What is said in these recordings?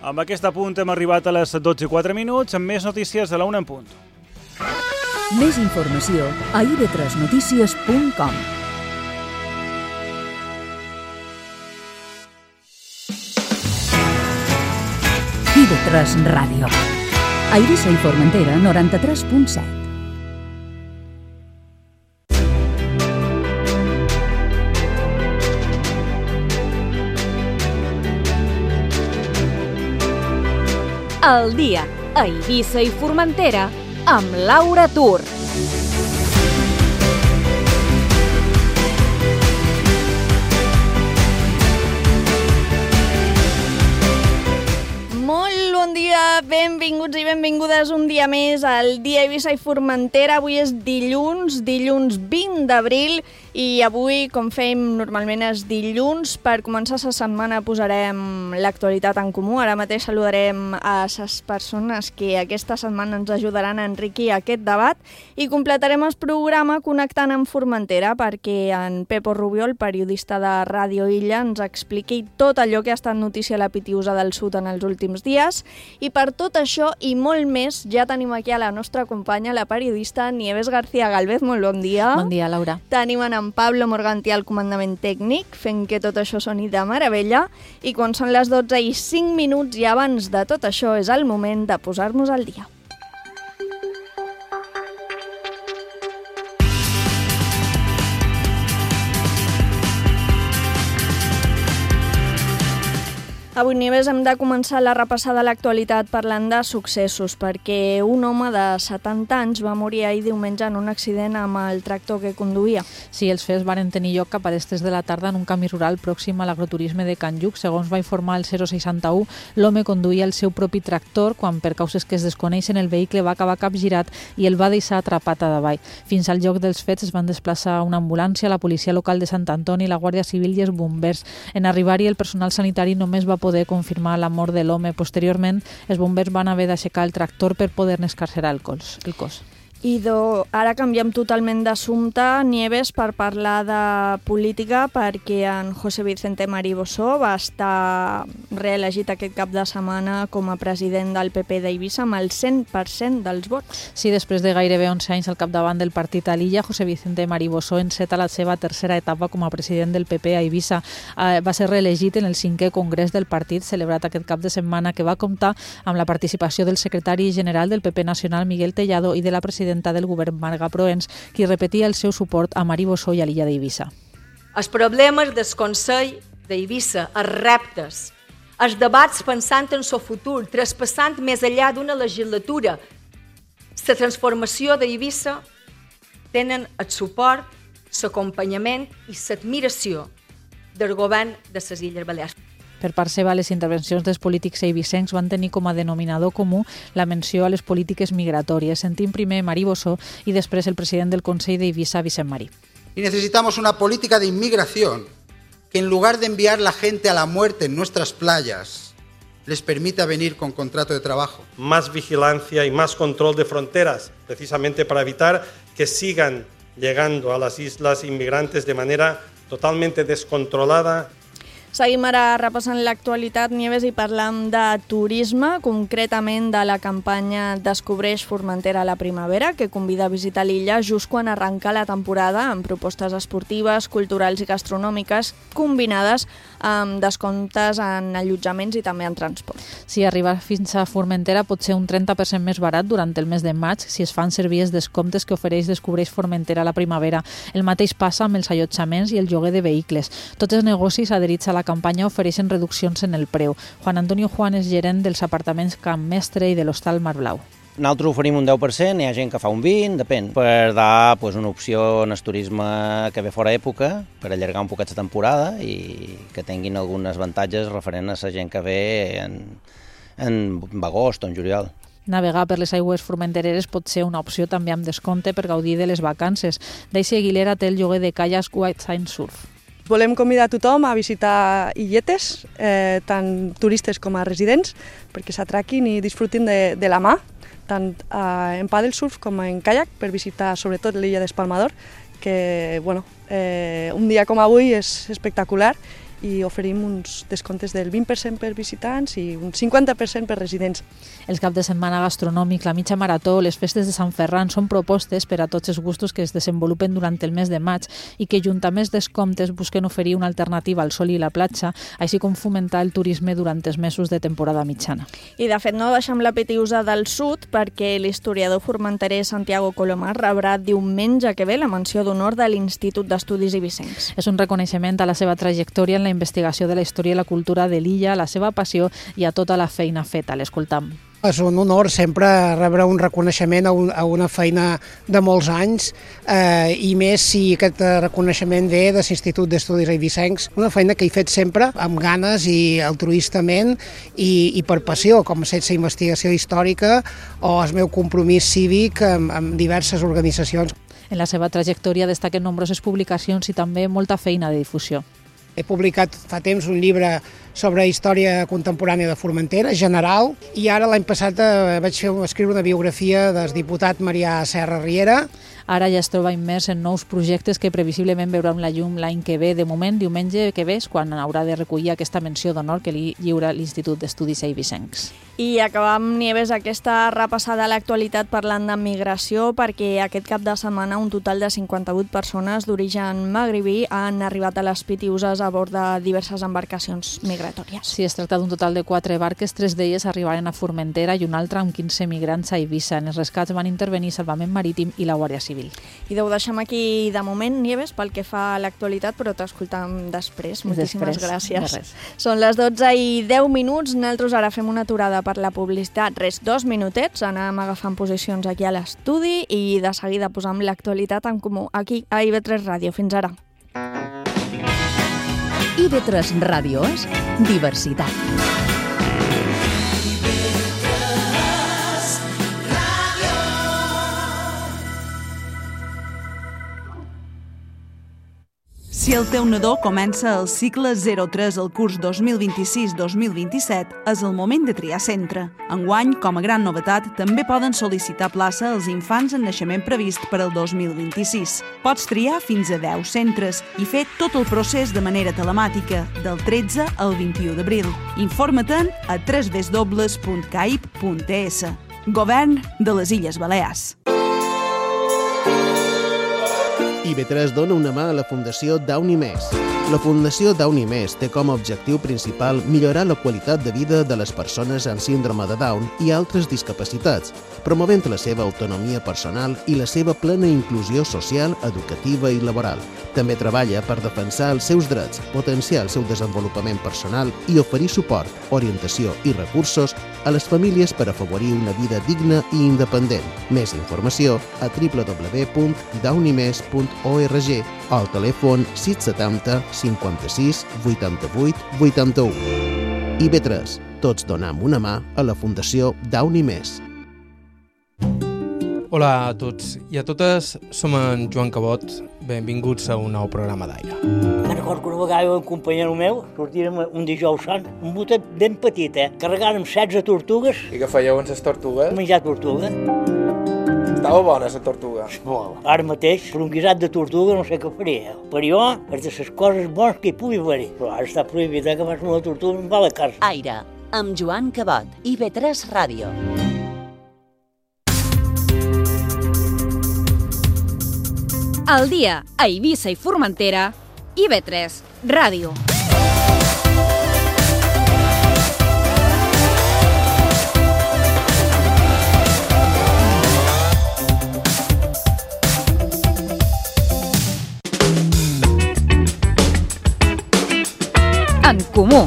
Amb aquest apunt hem arribat a les 12:04, amb més notícies de la 1 en punt. Més informació a ib3notícies.com. IB3 Ràdio. A Eivissa i Formentera, 93.7. El dia a Eivissa i Formentera amb Laura Tur. Molt bon dia, benvinguts i benvingudes un dia més al dia Eivissa i Formentera. Avui és dilluns 20 d'abril i avui, com fem normalment, és dilluns. Per començar la setmana posarem l'actualitat en comú. Ara mateix saludarem a les persones que aquesta setmana ens ajudaran a enriquir aquest debat i completarem el programa connectant amb Formentera perquè en Pepo Rubió, el periodista de Ràdio Illa, ens expliqui tot allò que ha estat notícia a la Pitiusa del Sud en els últims dies. I per tot això i molt més, ja tenim aquí a la nostra companya, la periodista Nieves García Galvez. Molt bon dia. Bon dia, Laura. Tenim en Pablo Morganti al comandament tècnic, fent que tot això soni de meravella. I quan són les 12:05 i abans de tot això és el moment de posar-nos al dia. Avui, Nieves, hem de començar la repassada de l'actualitat parlant de successos, perquè un home de 70 anys va morir ahir diumenge en un accident amb el tractor que conduïa. Sí, els fets varen tenir lloc cap a les 3 de la tarda en un camí rural pròxim a l'agroturisme de Can Lluc. Segons va informar el 061, l'home conduïa el seu propi tractor quan, per causes que es desconeixen, el vehicle va acabar capgirat i el va deixar atrapat a davall. Fins al lloc dels fets es van desplaçar una ambulància, la policia local de Sant Antoni, la Guàrdia Civil i els bombers. En arribar-hi, el personal sanitari només va poder confirmar la mort de l'home. Posteriorment, els bombers van haver d'aixecar el tractor per poder-ne escarcerar el cos. Ara canviem totalment d'assumpte, Nieves, per parlar de política, perquè en José Vicente Mariboso va estar reelegit aquest cap de setmana com a president del PP d'Eivissa amb el 100% dels vots. Sí, després de gairebé 11 anys al capdavant del partit a l'illa, José Vicente Mariboso enceta la seva tercera etapa com a president del PP a Eivissa. Va ser reelegit en el 5è congrés del partit, celebrat aquest cap de setmana, que va comptar amb la participació del secretari general del PP nacional, Miguel Tellado, i de la presidenta del govern, Marga Proens, qui repetia el seu suport a Mariboso i a l'illa d'Eivissa. Els problemes del Consell d'Eivissa, els reptes, els debats pensant en el futur, traspassant més enllà d'una legislatura, la transformació d'Eivissa tenen el suport, l'acompanyament i l'admiració del govern de les Illes Balears. Per part seva, les intervencions dels polítics eivissencs van tenir com a denominador comú la menció a les polítiques migratòries. Sentim primer Mariboso y després el president del Consell d'Eivissa, Vicent Marí. Y necesitamos una política de inmigración que, en lugar de enviar la gente a la muerte en nuestras playas, les permita venir con contrato de trabajo. Más vigilancia y más control de fronteras, precisamente para evitar que sigan llegando a las islas inmigrantes de manera totalmente descontrolada. Seguim ara repassant l'actualitat, Nieves, i parlam de turisme, concretament de la campanya Descobreix Formentera a la primavera, que convida a visitar l'illa just quan arranca la temporada, amb propostes esportives, culturals i gastronòmiques combinades amb descomptes en allotjaments i també en transport. Si arribar fins a Formentera pot ser un 30% més barat durant el mes de maig si es fan servir els descomptes que ofereix Descobreix Formentera a la primavera. El mateix passa amb els allotjaments i el lloguer de vehicles. Tots els negocis adherits a la campanya ofereixen reduccions en el preu. Juan Antonio Juan és gerent dels apartaments Camp Mestre i de l'Hostal Mar Blau. Nosaltres oferim un 10%, hi ha gent que fa un 20%, depèn, per dar una opció en el turisme que ve fora època, per allargar un poquet la temporada i que tinguin alguns avantatges referent a la gent que ve en agost o en juliol. Navegar per les aigües formentereres pot ser una opció també amb descompte per gaudir de les vacances. Daisy Aguilera té el lloguer de caiacs White Sand Surf. Volem convidar a tothom a visitar illetes, tant turistes com a residents, perquè s'atraquin i disfrutin de la mà, tant en paddle surf com en caiac, per visitar sobretot l'illa d'Espalmador, que un dia com avui és espectacular i oferim uns descomptes del 20% per visitants i un 50% per residents. El cap de setmana gastronòmic, la mitja marató, les festes de Sant Ferran són propostes per a tots els gustos que es desenvolupen durant el mes de maig i que, junt amb els descomptes, busquen oferir una alternativa al sol i la platja, així com fomentar el turisme durant els mesos de temporada mitjana. I, de fet, no deixem la Pitiusa del Sud perquè l'historiador formenterer Santiago Colomar rebrà diumenge que ve la menció d'honor de l'Institut d'Estudis Eivissencs. És un reconeixement a la seva trajectòria en la investigació de la història i la cultura de l'illa, a la seva passió i a tota la feina feta. L'escoltam. És un honor sempre rebre un reconeixement a una feina de molts anys i més si aquest reconeixement ve de l'Institut d'Estudis Eivissencs, una feina que he fet sempre amb ganes i altruistament i per passió, com ha estat la investigació històrica o el meu compromís cívic amb diverses organitzacions. En la seva trajectòria destaquen nombroses publicacions i també molta feina de difusió. He publicat fa temps un llibre sobre història contemporània de Formentera, general, i ara l'any passat vaig escriure una biografia del diputat Marià Serra Riera. Ara ja es troba immers en nous projectes que previsiblement veuran la llum l'any que ve. De moment, diumenge que ve és quan haurà de recollir aquesta menció d'honor que li lliura l'Institut d'Estudis Eivissencs. I acabam, Nieves, aquesta repassada a l'actualitat parlant de migració, perquè aquest cap de setmana un total de 58 persones d'origen magribí han arribat a les Pitiuses a bord de diverses embarcacions migratòries. Sí, es tracta d'un total de 4 barques, 3 d'elles arribaren a Formentera i una altra amb 15 migrants a Eivissa. En els rescats van intervenir Salvament Marítim i la Guàrdia Civil. I ho deixem aquí de moment, Nieves, pel que fa a l'actualitat, però t'escoltam després. Moltíssimes gràcies. Són les 12:10. Nosaltres ara fem una aturada per la publicitat. 2 minutets, anem agafant posicions aquí a l'estudi i de seguida posam l'actualitat en comú aquí a IB3 Ràdio. Fins ara. IB3 Ràdio és diversitat. Si el teu nadó comença el cicle 03 al curs 2026-2027, és el moment de triar centre. Enguany, com a gran novetat, també poden sol·licitar plaça als infants en naixement previst per al 2026. Pots triar fins a 10 centres i fer tot el procés de manera telemàtica, del 13 al 21 d'abril. Informa-te'n a www.caip.es. Govern de les Illes Balears. IB3 dona una mà a la Fundació Downy Més. La Fundació Downy Més té com a objectiu principal millorar la qualitat de vida de les persones amb síndrome de Down i altres discapacitats, promovent la seva autonomia personal i la seva plena inclusió social, educativa i laboral. També treballa per defensar els seus drets, potenciar el seu desenvolupament personal i oferir suport, orientació i recursos a les famílies per afavorir una vida digna i independent. Més informació a www.downymes.org o al telèfon 670 56 88 81. IB3. Tots donem una mà a la Fundació Downy Més. Hola a tots i a totes, som en Joan Cabot. Benvinguts a un nou programa d'Aire. Me'n recordo que una vegada un companyero meu sortírem un dijous sant, un botet ben petit, carregàrem 16 tortugues. I què fèieu amb les tortugues? Menjar tortuga. Estava bona, la tortuga. Molt. Ara mateix, per un guisat de tortuga no sé què faria. Per jo, és de les coses bones que hi pugui haver. Però ara està prohibit que fas una tortuga amb la carn. Aire, amb Joan Cabot, IB3 Ràdio. Al dia a Eivissa i Formentera, IB3 Ràdio. En comú.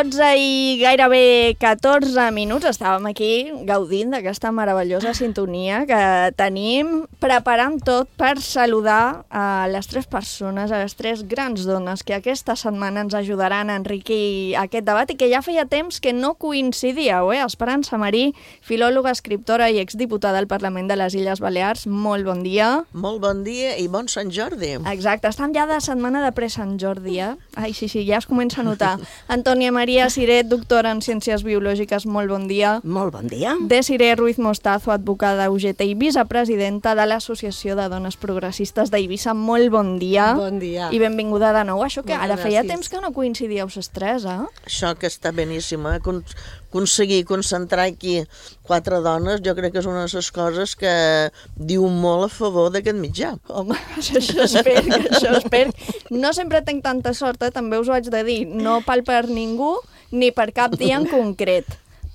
12 i gairebé 14 minuts. Estàvem aquí gaudint d'aquesta meravellosa sintonia que tenim, preparant tot per saludar a les 3 persones, a les 3 grans dones que aquesta setmana ens ajudaran a enriquir aquest debat i que ja feia temps que no coincidíeu, Esperança Marí, filòloga, escriptora i exdiputada al Parlament de les Illes Balears. Molt bon dia. Molt bon dia i bon Sant Jordi. Exacte, estem ja de setmana de pre-Sant Jordi, Ai, sí, ja es comença a notar. Antònia Maria Siret, doctora en Ciències Biològiques, molt bon dia. Molt bon dia. Desiree Ruiz Mostazo, advocada UGT i vicepresidenta de l'Associació de Dones Progressistes d'Eivissa, molt bon dia. Bon dia. I benvinguda de nou. Això que Moltes ara feia gràcies. temps que no coincidíeu les 3, Això que està beníssim, aconseguir concentrar aquí 4 dones, jo crec que és una de les coses que diu molt a favor d'aquest mitjà. Home, això espero. No sempre tenc tanta sort, també us ho haig de dir. No pal per ningú, ni per cap dia en concret,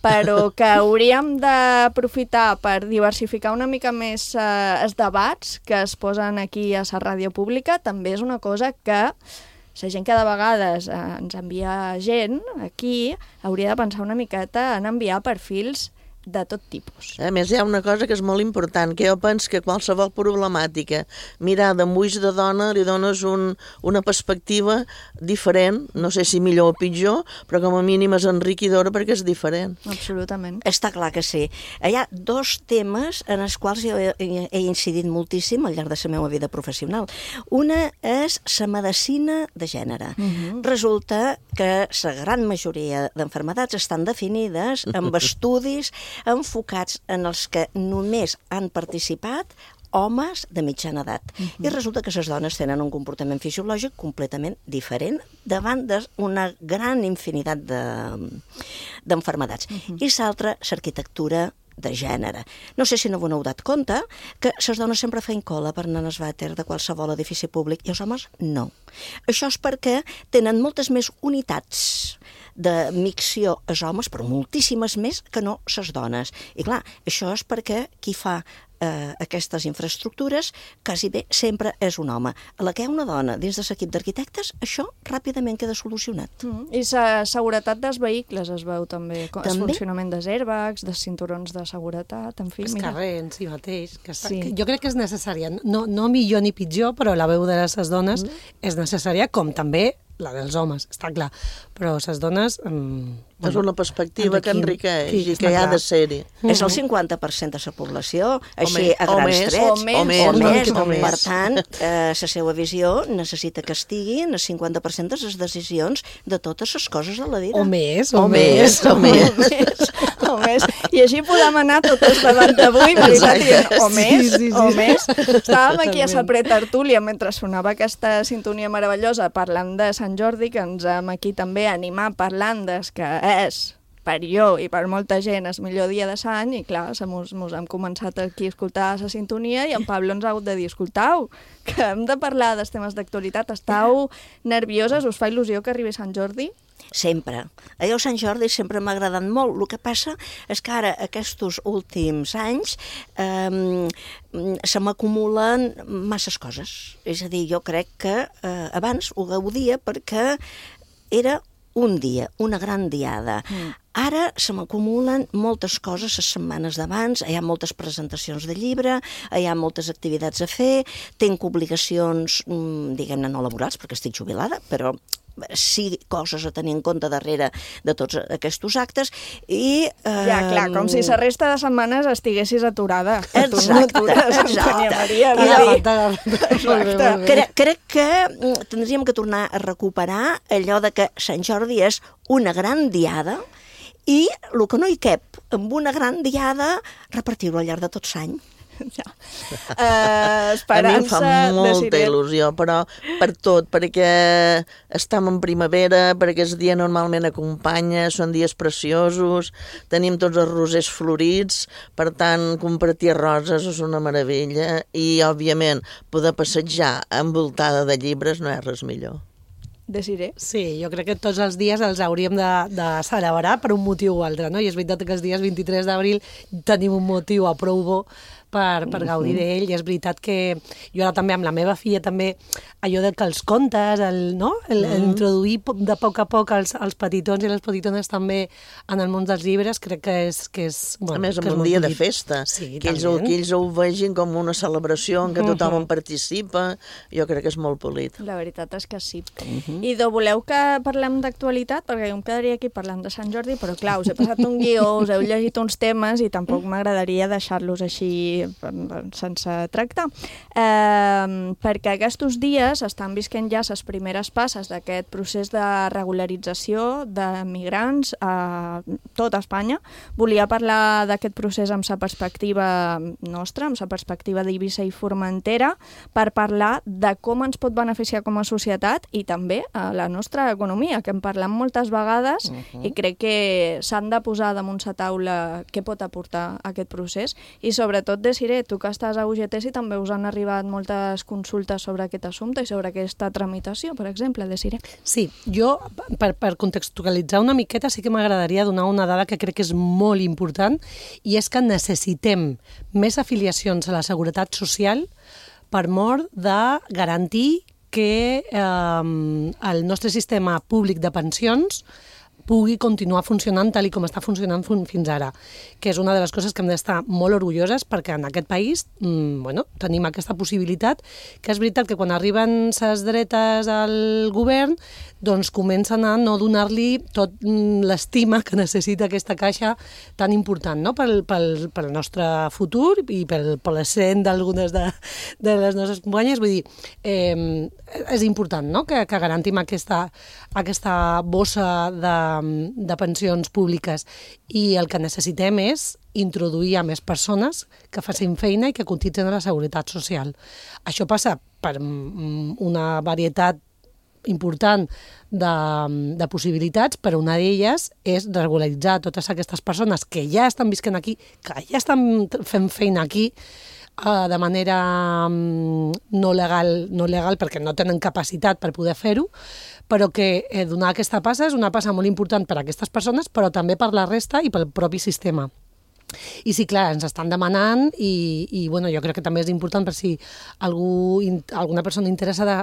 però que hauríem d'aprofitar per diversificar una mica més els debats que es posen aquí a la ràdio pública. També és una cosa que la gent que de vegades ens envia gent aquí hauria de pensar una miqueta en enviar perfils de tot tipus. A més, hi ha una cosa que és molt important, que jo penso que qualsevol problemàtica mirada amb ulls de dona li dones una perspectiva diferent, no sé si millor o pitjor, però com a mínim és enriquidora perquè és diferent. Absolutament. Està clar que sí. Hi ha 2 temes en els quals jo he incidit moltíssim al llarg de la meva vida professional. Una és la medicina de gènere. Resulta que la gran majoria d'enfermedats estan definides amb estudis enfocats en els que només han participat homes de mitjana edat. I resulta que les dones tenen un comportament fisiològic completament diferent davant d'una gran infinitat d'enfermedats. I l'altra, l'arquitectura de gènere. No sé si no vos n'heu dat compte que les dones sempre feien cola per anar al vàter de qualsevol edifici públic i els homes no. Això és perquè tenen moltes més unitats de micció als homes, però moltíssimes més que no les dones. I clar, això és perquè qui fa aquestes infraestructures quasi bé sempre és un home. A la que hi ha una dona dins de l'equip d'arquitectes, això ràpidament queda solucionat. I la seguretat dels vehicles es veu també. El funcionament dels airbags, dels cinturons de seguretat, en fi. Els carrers en si mateix. Que jo crec que és necessària. No millor ni pitjor, però la veu de les dones és necessària, com també la dels homes, està clar. Però les dones... És una perspectiva que enriqueix i que hi ha de ser-hi. És el 50% de la població, així a grans trets. O més. Per tant, la seva visió necessita que estigui en el 50% de les decisions de totes les coses de la vida. O més. I així podem anar tot el debat d'avui, veritat, o més. Estàvem aquí a la pretertúlia mentre sonava aquesta sintonia meravellosa parlant de Sant Jordi, que ens hem aquí també animat parlant des que és per jo i per molta gent el millor dia de l'any i clar, mos hem començat aquí a escoltar la sintonia i en Pablo ens ha hagut de dir, escoltau, que hem de parlar dels temes d'actualitat, estàu nervioses, us fa il·lusió que arribi Sant Jordi? Sempre. A jo Sant Jordi sempre m'ha agradat molt. El que passa és que ara, aquests últims anys, se m'acumulen masses coses. És a dir, jo crec que abans ho gaudia perquè era un dia, una gran diada. Ara se m'acumulen moltes coses les setmanes d'abans, hi ha moltes presentacions de llibre, hi ha moltes activitats a fer, tinc obligacions, diguem-ne, no laborals, perquè estic jubilada, però sí coses a tenir en compte darrere de tots aquests actes i... Ja, clar, com si la resta de setmanes estiguessis aturada. Exacte. Crec que tindríem que tornar a recuperar allò de que Sant Jordi és una gran diada i el que no hi cap amb una gran diada, repartir-ho al llarg de tot l'any. Ja. A mi em fa molta il·lusió, però per tot, perquè estem en primavera, perquè el dia normalment acompanya, són dies preciosos, tenim tots els rosers florits, per tant, compartir roses és una meravella i, òbviament, poder passejar envoltada de llibres no és res millor. Desiré? Sí, jo crec que tots els dies els hauríem de celebrar per un motiu o altre, no? I és veritat que els dies 23 d'abril tenim un motiu a prou bo per gaudir d'ell, i és veritat que jo ara també amb la meva filla també allò que els contes, introduir de poc a poc els petitons i les petitones també en el món dels llibres, crec que és a més, amb un dia de festa, que ells ho vegin com una celebració en què tothom en participa, jo crec que és molt polit. La veritat és que sí. I voleu que parlem d'actualitat? Perquè jo em quedaria aquí parlant de Sant Jordi, però clar, us he passat un guió, us heu llegit uns temes i tampoc m'agradaria deixar-los així sense tractar. Perquè aquests dies estan visquent ja les primeres passes d'aquest procés de regularització de migrants a tota Espanya. Volia parlar d'aquest procés amb la perspectiva nostra, amb la perspectiva d'Eivissa i Formentera, per parlar de com ens pot beneficiar com a societat i també a la nostra economia, que en parlem moltes vegades i crec que s'han de posar damunt la taula què pot aportar aquest procés. I sobretot, Desiré, tu que estàs a UGT, si també us han arribat moltes consultes sobre aquest assumpte i sobre aquesta tramitació, per exemple, Desiré. Sí, jo, per contextualitzar una miqueta, sí que m'agradaria donar una dada que crec que és molt important, i és que necessitem més afiliacions a la Seguretat Social per mort de garantir que el nostre sistema públic de pensions pugui continuar funcionant tal com està funcionant fins ara, que és una de les coses que hem d'estar molt orgulloses, perquè en aquest país tenim aquesta possibilitat, que és veritat que quan arriben les dretes al govern doncs comencen a no donar-li tot l'estima que necessita aquesta caixa tan important, no? pel nostre futur i per l'ascent d'algunes de les nostres companyes. Vull dir, és important, no? que garantim aquesta bossa de pensions públiques, i el que necessitem és introduir a més persones que facin feina i que cotitzen a la Seguretat Social. Això passa per una varietat important de possibilitats, però una d'elles és regularitzar totes aquestes persones que ja estan visquent aquí, que ja estan fent feina aquí, de manera no legal perquè no tenen capacitat per poder fer-ho, però que donar aquesta passa és una passa molt important per a aquestes persones, però també per la resta i pel propi sistema. I sí, clar, ens estan demanant i jo crec que també és important per si alguna persona interessada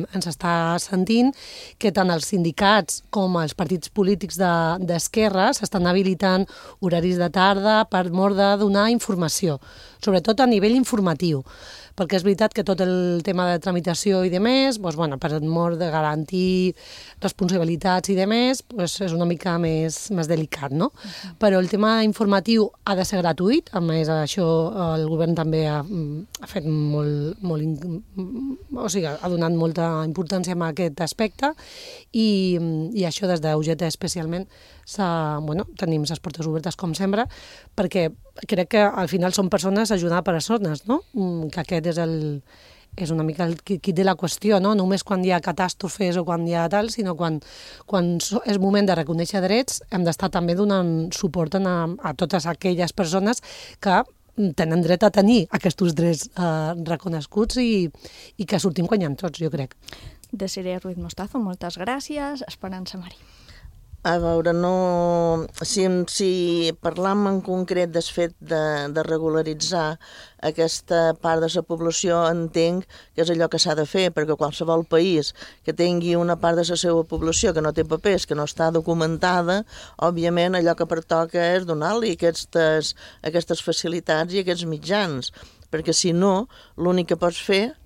ens està sentint, que tant els sindicats com els partits polítics d'esquerra s'estan habilitant horaris de tarda per mort de donar informació, sobretot a nivell informatiu, perquè és veritat que tot el tema de tramitació i de més, per mort de garantir responsabilitats i de més, és una mica més delicat, no? Però el tema informatiu ha de ser gratuït, a més això el govern també ha fet ha donat molta importància a aquest aspecte, i això des d'UGT especialment tenim les portes obertes com sempre, perquè crec que al final són persones ajudant a persones, no? Que aquest és una mica el quid de la qüestió, no? Només quan hi ha catàstrofes o quan hi ha tal, sinó quan és moment de reconèixer drets, hem d'estar també donant suport a totes aquelles persones que tenen dret a tenir aquests drets reconeguts i que sortim guanyant tots, jo crec. Desiré Ruiz Mostazo, moltes gràcies. Esperança Mari. A veure, si parlam en concret del fet de regularitzar aquesta part de la població, entenc que és allò que s'ha de fer, perquè qualsevol país que tingui una part de la seva població que no té papers, que no està documentada, òbviament allò que pertoca és donar-li aquestes facilitats i aquests mitjans, perquè si no, l'únic que pots fer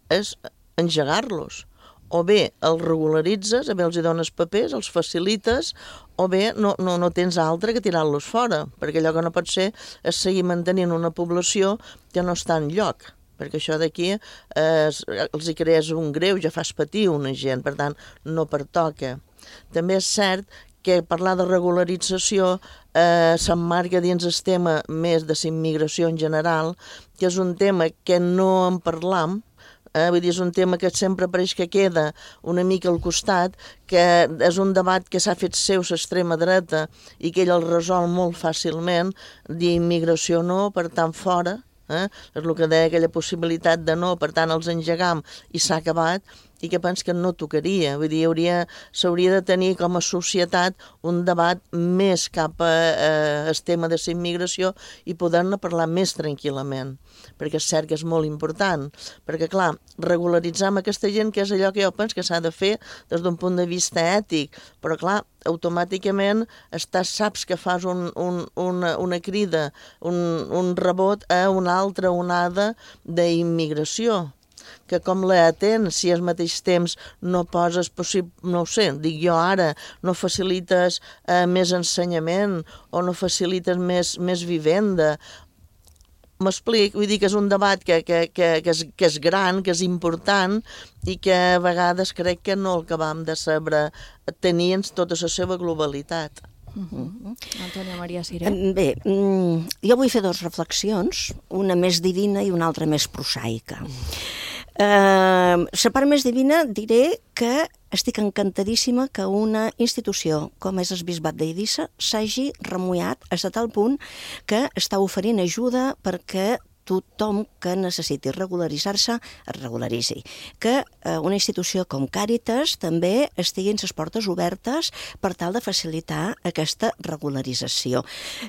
és engegar-los. O bé els regularitzes, o bé els dones papers, els facilites, o bé no tens altre que tirar-los fora, perquè allò que no pot ser és seguir mantenint una població que no està en lloc, perquè això d'aquí els hi crees un greu, ja fas patir una gent, per tant, no pertoca. També és cert que parlar de regularització s'emmarca dins el tema més de la immigració en general, que és un tema que no en parlam, vull dir, és un tema que sempre pareix que queda una mica al costat, que és un debat que s'ha fet seu l'extrema dreta i que ell el resol molt fàcilment, dir immigració no, per tant fora, és el que deia aquella possibilitat de no, per tant els engegam i s'ha acabat, i que penso que no tocaria. Vull dir, s'hauria de tenir com a societat un debat més cap al tema de la immigració i poder-ne parlar més tranquil·lament, perquè és cert que és molt important, perquè clar, regularitzar amb aquesta gent, que és allò que jo penso que s'ha de fer des d'un punt de vista ètic, però clar, automàticament saps que fas una crida, un rebot a una altra onada d'immigració, que com la atén, si al mateix temps no poses no ho sé, dic jo ara, no facilites més ensenyament o no facilites més vivenda. M'explic, vull dir que és un debat que és gran, que és important i que a vegades crec que no el acabam de saber tenir en tota la seva globalitat. Antònia Maria Siré. Bé, jo vull fer dues reflexions, una més divina i una altra més prosaica. La part més divina diré que estic encantadíssima que una institució com és el Bisbat d'Eivissa s'hagi remullat a tal punt que està oferint ajuda perquè tothom que necessiti regularitzar-se es regularitzi. Que una institució com Càritas també estiguin les portes obertes per tal de facilitar aquesta regularització.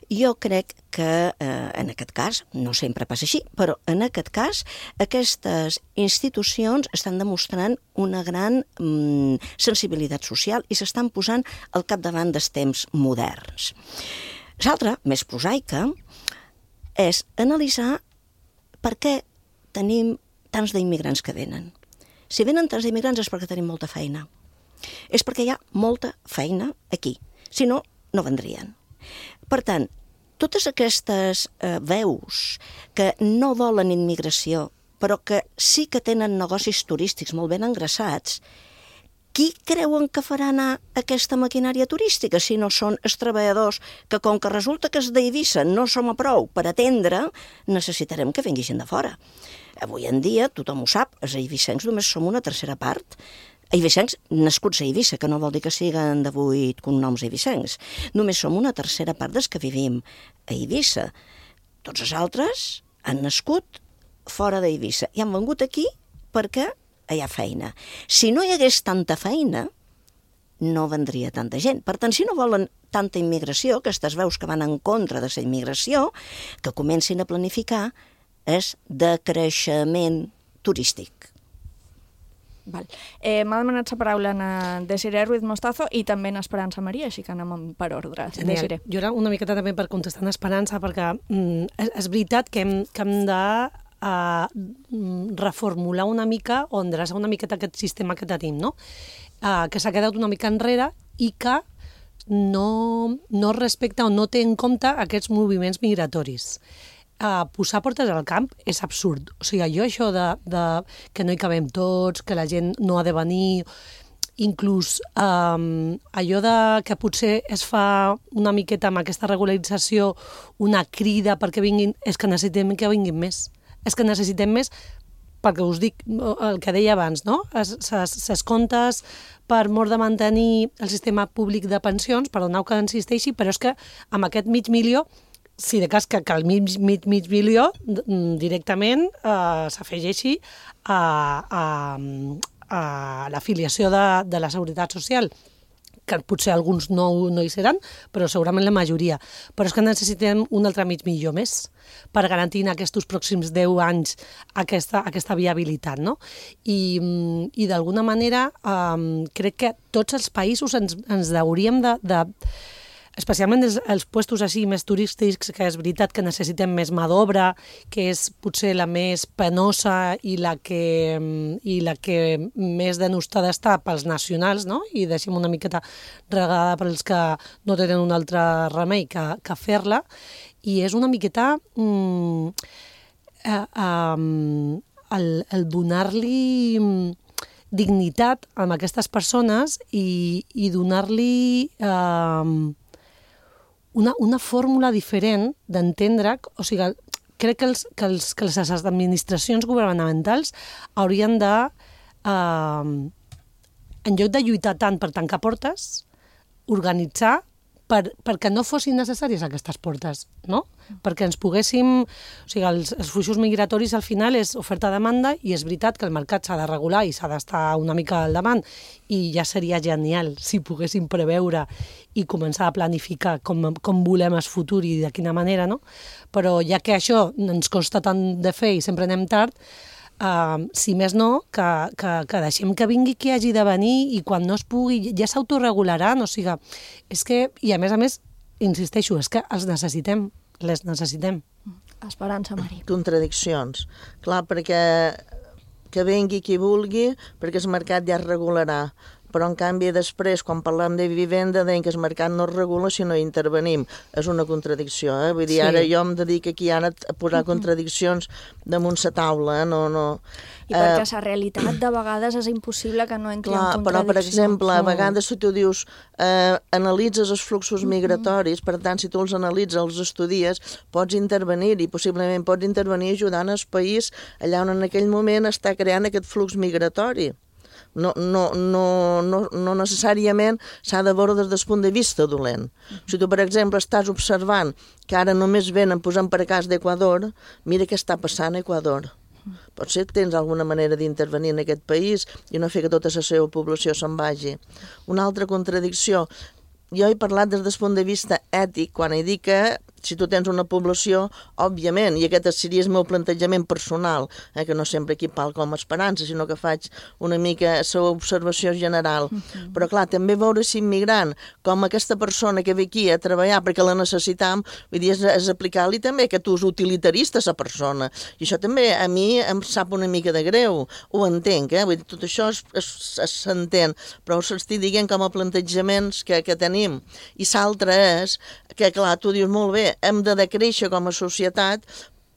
Jo crec que en aquest cas, no sempre passa així, però en aquest cas aquestes institucions estan demostrant una gran sensibilitat social i s'estan posant al capdavant dels temps moderns. L'altra, més prosaica, és analitzar per què tenim tants d'immigrants que venen. Si venen tants d'immigrants és perquè tenim molta feina. És perquè hi ha molta feina aquí. Si no, no vendrien. Per tant, totes aquestes veus que no volen immigració, però que sí que tenen negocis turístics molt ben engraçats, qui creuen que farà anar aquesta maquinària turística si no són els treballadors que, com que resulta que els d'Eivissa no som a prou per atendre, necessitarem que vingui gent de fora. Avui en dia, tothom ho sap, els eivissencs només som una tercera part. Eivissencs nascuts a Eivissa, que no vol dir que siguen de 8 cognoms eivissencs. Només som una tercera part dels que vivim a Eivissa. Tots els altres han nascut fora d'Eivissa i han vengut aquí perquè hi ha feina. Si no hi hagués tanta feina, no vendria tanta gent. Per tant, si no volen tanta immigració, aquestes veus que van en contra de la immigració, que comencin a planificar és decreixement turístic. Val. M'ha demanat la paraula en Desiree Ruiz Mostazo i també en Esperança Maria, així que anem per ordre. Desiree. Jo era una miqueta també per contestar en Esperança, perquè és veritat que hem de reformular una mica o endreçar una miqueta aquest sistema que tenim, no? Que s'ha quedat una mica enrere i que no respecta o no té en compte aquests moviments migratoris. Posar portes al camp és absurd. O sigui, això de que no hi cabem tots, que la gent no ha de venir, inclús allò que potser es fa una miqueta amb aquesta regularització una crida perquè vinguin, és que necessitem que vinguin més. És que necessitem més, perquè us dic el que deia abans, no? Ses comptes per mort de mantenir el sistema públic de pensions, perdoneu que insisteixi, però és que amb aquest 500.000, si de cas que el mig milió directament s'afegeixi a l'afiliació de la Seguretat Social, que potser alguns no hi seran, però segurament la majoria. Però és que necessitem un altre 500.000 més per garantir en aquests pròxims 10 anys aquesta viabilitat, no? I d'alguna manera crec que tots els països ens hauríem de especialment els puestos així més turístics, que és veritat que necessitem més mà d'obra, que és potser la més penosa i la que més denostada està pels nacionals, no? I deixem una miqueta regada pels que no tenen un altre remei que fer-la, i és una miqueta el donar-li dignitat a aquestes persones i donar-li una fórmula diferent d'entendre, o sigui, crec que les administracions governamentals haurien de, en lloc de lluitar tant per tancar portes, organitzar perquè no fossin necessàries aquestes portes, no? Perquè ens poguéssim... O sigui, els fluxos migratoris al final és oferta-demanda i és veritat que el mercat s'ha de regular i s'ha d'estar una mica al davant i ja seria genial si poguéssim preveure i començar a planificar com volem el futur i de quina manera, no? Però ja que això ens costa tant de fer i sempre anem tard, si més no, que deixem que vingui qui hagi de venir i quan no es pugui ja s'autorregularan, o sigui, és que, i a més, insisteixo, és que els necessitem, les necessitem. Esperança, Mari. Contradiccions. Clar, perquè que vingui qui vulgui, perquè el mercat ja es regularà. Però, en canvi, després, quan parlem de vivenda, deien que el mercat no es regula si no hi intervenim. És una contradicció, eh? Vull dir, ara jo em dedico aquí ara a posar contradiccions damunt la taula, no. I perquè la realitat de vegades és impossible que no entri en contradicció. Però, per exemple, a vegades si tu dius analitzes els fluxos migratoris, per tant, si tu els analitzes, els estudies, pots intervenir i possiblement pots intervenir ajudant el país allà on en aquell moment està creant aquest flux migratori. No necessàriament s'ha de veure des del punt de vista dolent. Si tu, per exemple, estàs observant que ara només venen posant per a cas d'Equador, mira què està passant a Equador. Potser tens alguna manera d'intervenir en aquest país i no fer que tota la seva població se'n vagi. Una altra contradicció, jo he parlat des del punt de vista ètic, quan he dit que si tu tens una població, òbviament, i aquest seria el meu plantejament personal, que no sempre aquí parlo com a esperança, sinó que faig una mica la observació general. Però clar, també veure si immigrant, com aquesta persona que ve aquí a treballar perquè la necessitam, vull dir, és aplicar-li també aquest ús utilitarista a la persona. I això també a mi em sap una mica de greu, ho entenc, vull dir, tot això s'entén, però us estic dient com a plantejaments que tenim. I l'altre és que, clar, tu dius molt bé, hem de decréixer com a societat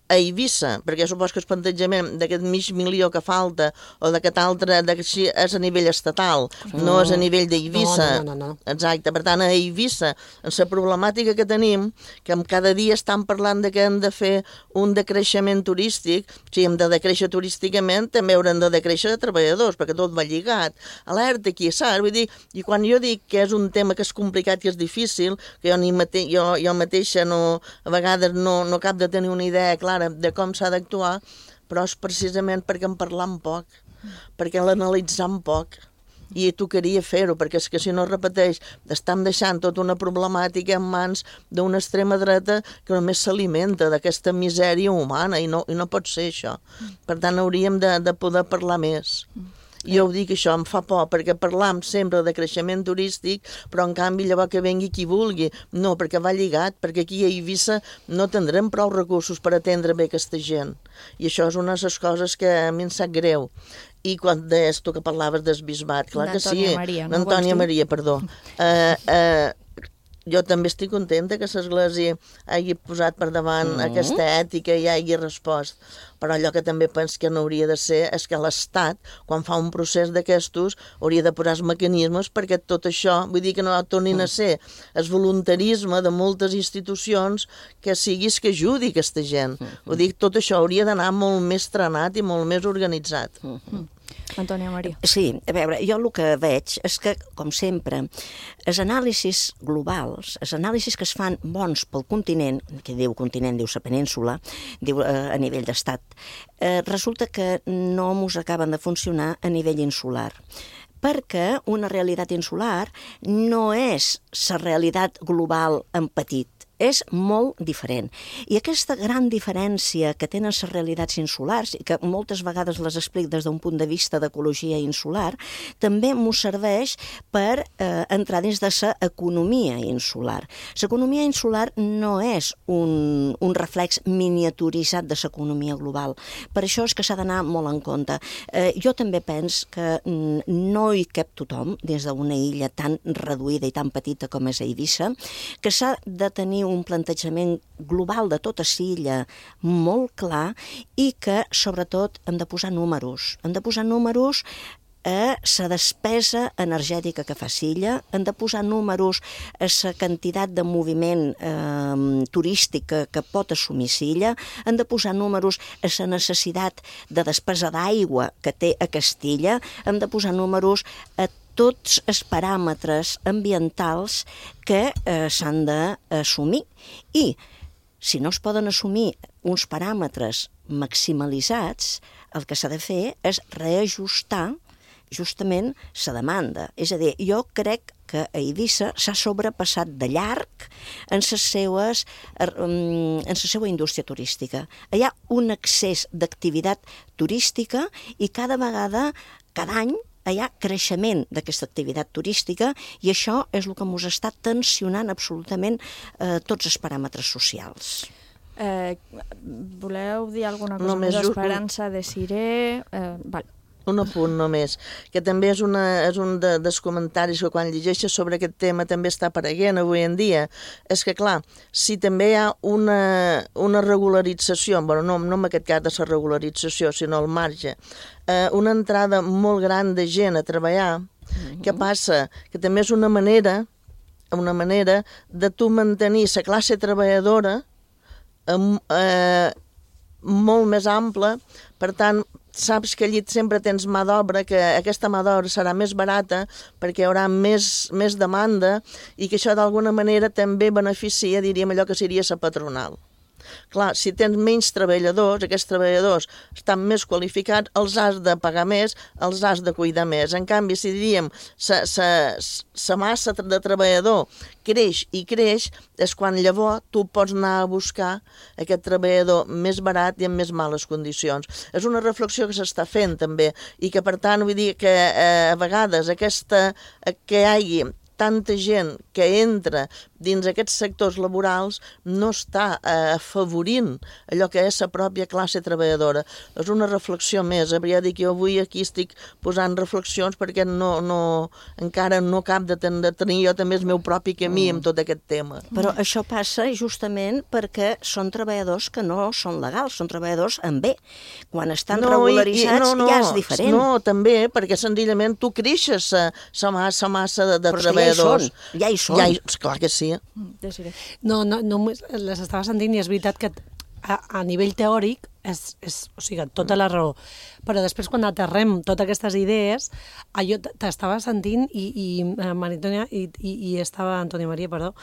a Eivissa, perquè supos que el plantejament d'aquest mig milió que falta o d'aquest altre és a nivell estatal, no és a nivell d'Eivissa. No. Exacte, per tant, a Eivissa, en la problemàtica que tenim, que cada dia estan parlant de que hem de fer un decreixement turístic, si hem de decréixer turísticament, també haurem de decréixer de treballadors, perquè tot va lligat. Alerta aquí, saps? Vull dir, i quan jo dic que és un tema que és complicat i és difícil, que jo mateixa a vegades no cap de tenir una idea clara de com s'ha d'actuar, però és precisament perquè en parlam poc, perquè l'analitzam poc, i tocaria fer-ho, perquè és que si no es repeteix, estem deixant tota una problemàtica en mans d'una extrema dreta que només s'alimenta d'aquesta misèria humana, i no pot ser això. Per tant, hauríem de poder parlar més. Jo ho dic, això em fa por, perquè parlam sempre de creixement turístic, però en canvi llavors que vengui qui vulgui. No, perquè va lligat, perquè aquí a Eivissa no tindrem prou recursos per atendre bé aquesta gent. I això és una de les coses que a mi em sap greu. I quan deies tu que parlaves del bisbat, clar que sí. Antònia Maria, perdó. Jo també estic contenta que l'Església hagi posat per davant aquesta ètica i hagi respost. Però allò que també penso que no hauria de ser és que l'Estat, quan fa un procés d'aquestos, hauria de posar els mecanismes perquè tot això, vull dir que no tornin a ser el voluntarisme de moltes institucions que siguis que ajudi aquesta gent. Vull dir, tot això hauria d'anar molt més trenat i molt més organitzat. Antònia Maria. Sí, a veure, jo el que veig és que, com sempre, els anàlisis globals, els anàlisis que es fan bons pel continent, que diu continent, diu la península, diu a nivell d'estat, resulta que no mos acaben de funcionar a nivell insular. Perquè una realitat insular no és la realitat global en petit, és molt diferent. I aquesta gran diferència que tenen les realitats insulars, i que moltes vegades les explico des d'un punt de vista d'ecologia insular, també m'ho serveix per entrar dins de l'economia insular. L'economia insular no és un reflex miniaturitzat de l'economia global. Per això és que s'ha d'anar molt en compte. Jo també penso que no hi cap tothom dins d'una illa tan reduïda i tan petita com és Eivissa, que s'ha de tenir un plantejament global de tota l'illa molt clar i que, sobretot, hem de posar números. Hem de posar números a la despesa energètica que fa l'illa, hem de posar números a la quantitat de moviment turístic que pot assumir l'illa, hem de posar números a la necessitat de despesa d'aigua que té a Castilla, hem de posar números a tots els paràmetres ambientals que s'han d'assumir. I si no es poden assumir uns paràmetres maximalitzats, el que s'ha de fer és reajustar justament la demanda. És a dir, jo crec que a Eivissa s'ha sobrepassat de llarg en la seva indústria turística. Hi ha un excés d'activitat turística i cada vegada, cada any, hi ha creixement d'aquesta activitat turística i això és el que ens està tensionant absolutament tots els paràmetres socials. Voleu dir alguna cosa més d'Esperança de Siré? Val. Un apunt només, que també és un dels comentaris que quan llegeixes sobre aquest tema també està apareguent avui en dia, és que clar, si també hi ha una regularització, no en aquest cas de la regularització, sinó al marge, una entrada molt gran de gent a treballar, què passa? Que també és una manera de tu mantenir la classe treballadora molt més ampla, per tant, saps que allí sempre tens mà d'obra, que aquesta mà d'obra serà més barata perquè hi haurà més demanda i que això d'alguna manera també beneficia, diríem, allò que seria la patronal. Clar, si tens menys treballadors, aquests treballadors estan més qualificats, els has de pagar més, els has de cuidar més. En canvi, si diríem la massa de treballador creix i creix, és quan llavors tu pots anar a buscar aquest treballador més barat i en més males condicions. És una reflexió que s'està fent també i que, per tant, vull dir que a vegades que hi hagi tanta gent que entra dins aquests sectors laborals no està afavorint allò que és la pròpia classe treballadora. És una reflexió més. Ja dic, jo avui aquí estic posant reflexions perquè encara no cap de tenir jo també el meu propi camí amb tot aquest tema. Però això passa justament perquè són treballadors que no són legals, són treballadors amb B. Quan estan regularitzats ja és diferent. No, també, perquè senzillament tu creixes la massa de treballadors. Ja hi són. Clar que sí. No, les estava sentint i és veritat que a nivell teòric o sigui, tota la raó. Però després quan aterrem totes aquestes idees, jo t'estava sentint i Maria Antònia Maria, perdó,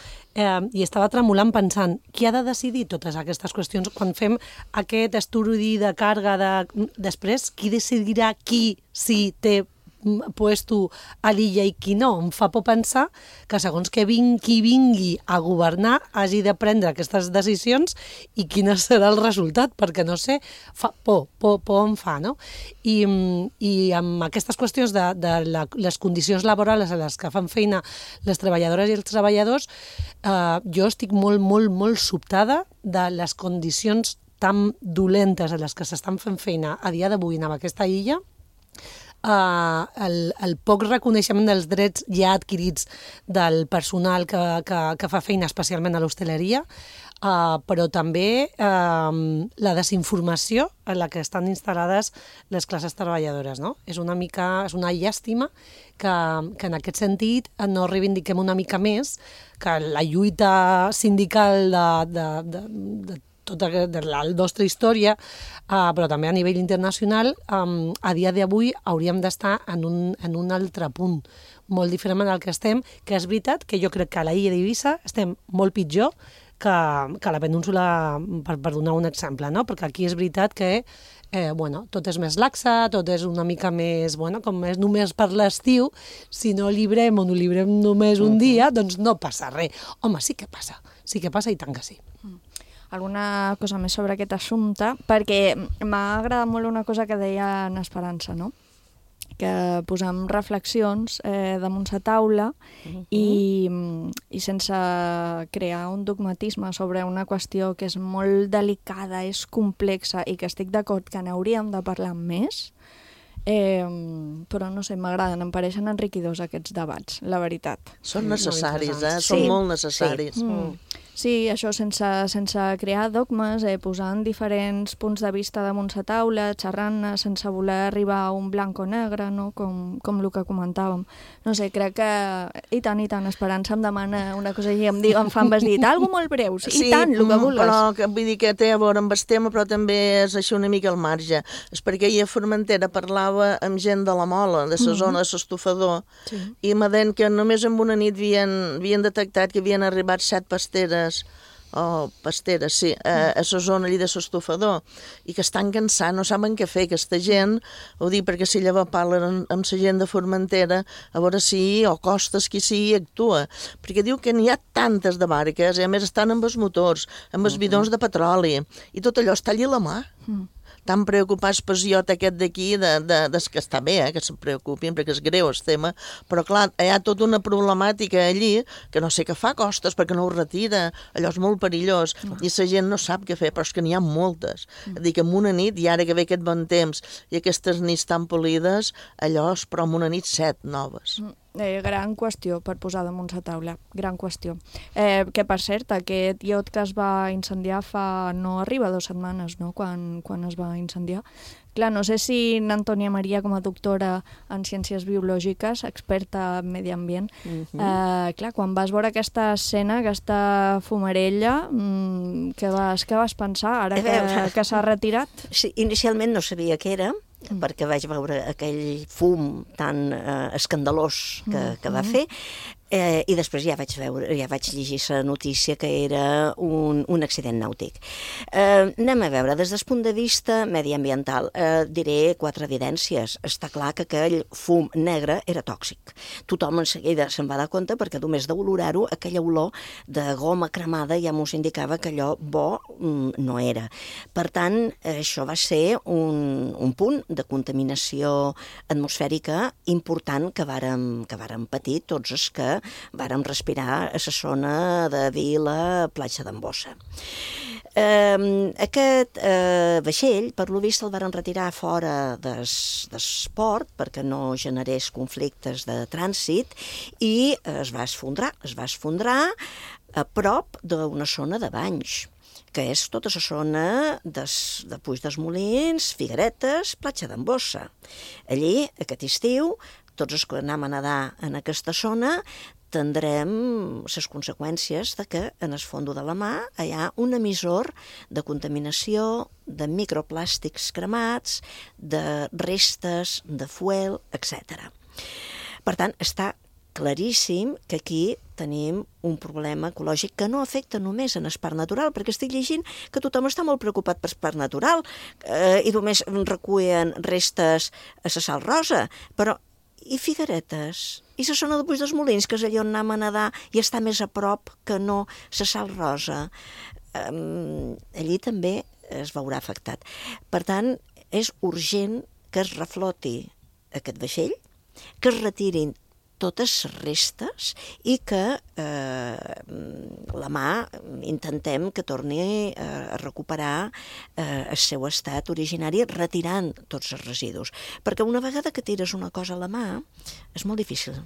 i estava tremolant pensant qui ha de decidir totes aquestes qüestions quan fem aquest estudi de càrrega després, qui decidirà qui sí té puesto a l'illa i qui no. Em fa por pensar que segons qui vingui a governar hagi de prendre aquestes decisions i quin serà el resultat, perquè no sé, por em fa, no? I amb aquestes qüestions de les condicions laborals a les que fan feina les treballadores i els treballadors, jo estic molt, molt, molt sobtada de les condicions tan dolentes a les que s'estan fent feina a dia d'avui en aquesta illa, el poc reconeixement dels drets ja adquirits del personal que fa feina especialment a l'hostaleria, però també la desinformació en la que estan instal·lades les classes treballadores, no? És una llàstima que en aquest sentit no reivindiquem una mica més que la lluita sindical de tota la nostra història, però també a nivell internacional, a dia d'avui hauríem d'estar en un altre punt, molt diferent del que estem, que és veritat que jo crec que a la illa d'Eivissa estem molt pitjor que a la península, per donar un exemple, no? Perquè aquí és veritat que tot és més laxa, tot és una mica més, com és només per l'estiu, si no llibrem o no llibrem només un dia, doncs no passa res. Home, sí que passa i tant que sí. Alguna cosa més sobre aquest assumpte, perquè m'ha agradat molt una cosa que deia en Esperança, no? Que posam reflexions damunt la taula i sense crear un dogmatisme sobre una qüestió que és molt delicada, és complexa i que estic d'acord que n'hauríem de parlar més, però no sé, m'agraden, em pareixen enriquidors aquests debats, la veritat. Són necessaris, són molt necessaris. Sí, això sense crear dogmes, posant diferents punts de vista damunt la taula, xerrant sense voler arribar a un blanc o negre, no? com el que comentàvem. No sé, crec que... I tant, Esperança em demana una cosa i em fa embesdit, algo molt breu, i tant, el que vulguis. Però vull dir que té a veure amb el tema, però també és això una mica al marge. És perquè ahir a Formentera parlava amb gent de la Mola, de la zona de l'Estofador, i m'aden que només en una nit havien detectat que havien arribat 7 pasteres, a la zona allà de l'Estofador, i que estan cansats, no saben què fer, aquesta gent, ho dic perquè si llavors parlen amb la gent de Formentera, a veure si, o Costes, qui sigui, actua, perquè diu que n'hi ha tantes de barques, i a més estan amb els motors, amb els bidons de petroli, i tot allò està allà a la mà. Tan preocupats pel iot aquest d'aquí, que està bé, que se'n preocupin, perquè és greu el tema, però clar, hi ha tota una problemàtica allí, que no sé què fa Costes, perquè no ho retira, allò és molt perillós, i la gent no sap què fer, però és que n'hi ha moltes. És a dir, que en una nit, i ara que ve aquest bon temps, i aquestes nits tan polides, allò és, però en una nit 7 noves. Gran qüestió per posar damunt la taula, gran qüestió. Que per cert, aquest iot que es va incendiar no arriba 2 setmanes, no?, quan es va incendiar. Clar, no sé si n'Antònia Maria, com a doctora en ciències biològiques, experta en medi ambient, clar, quan vas veure aquesta escena, aquesta fumarella, què vas pensar ara que s'ha retirat? Sí, inicialment no sabia què era, perquè vaig veure aquell fum tan escandalós que va fer, i després ja vaig llegir la notícia que era un accident nàutic. Anem a veure, des del punt de vista mediambiental, diré 4 evidències. Està clar que aquell fum negre era tòxic. Tothom en seguida se'n va dar compte perquè només d'olorar-ho, aquella olor de goma cremada ja mos indicava que allò bo no era. Per tant, això va ser un punt de contaminació atmosfèrica important que vàrem patir tots els que vàrem respirar a la zona de Vila, Platja d'en Bossa. Aquest vaixell, per lo vist, el varen retirar fora d'esport perquè no generés conflictes de trànsit i es va esfondrar a prop d'una zona de banys, que és tota la zona de Puig dels Molins, Figueretes, Platja d'en Bossa. Allí, aquest estiu, tots els que anem a nedar en aquesta zona tindrem les conseqüències de que en el fons de la mà hi ha un emissor de contaminació, de microplàstics cremats, de restes, de fuel, etc. Per tant, està claríssim que aquí tenim un problema ecològic que no afecta només en el parc natural, perquè estic llegint que tothom està molt preocupat per el parc natural i només recullen restes a la Sal Rosa, però i Figueretes? I la zona de Puig dels Molins, que és allà on anem a nedar i està més a prop que no la Sal Rosa? Allí també es veurà afectat. Per tant, és urgent que es refloti aquest vaixell, que es retirin totes les restes i que la mà intentem que torni a recuperar el seu estat originari retirant tots els residus. Perquè una vegada que tires una cosa a la mà és molt difícil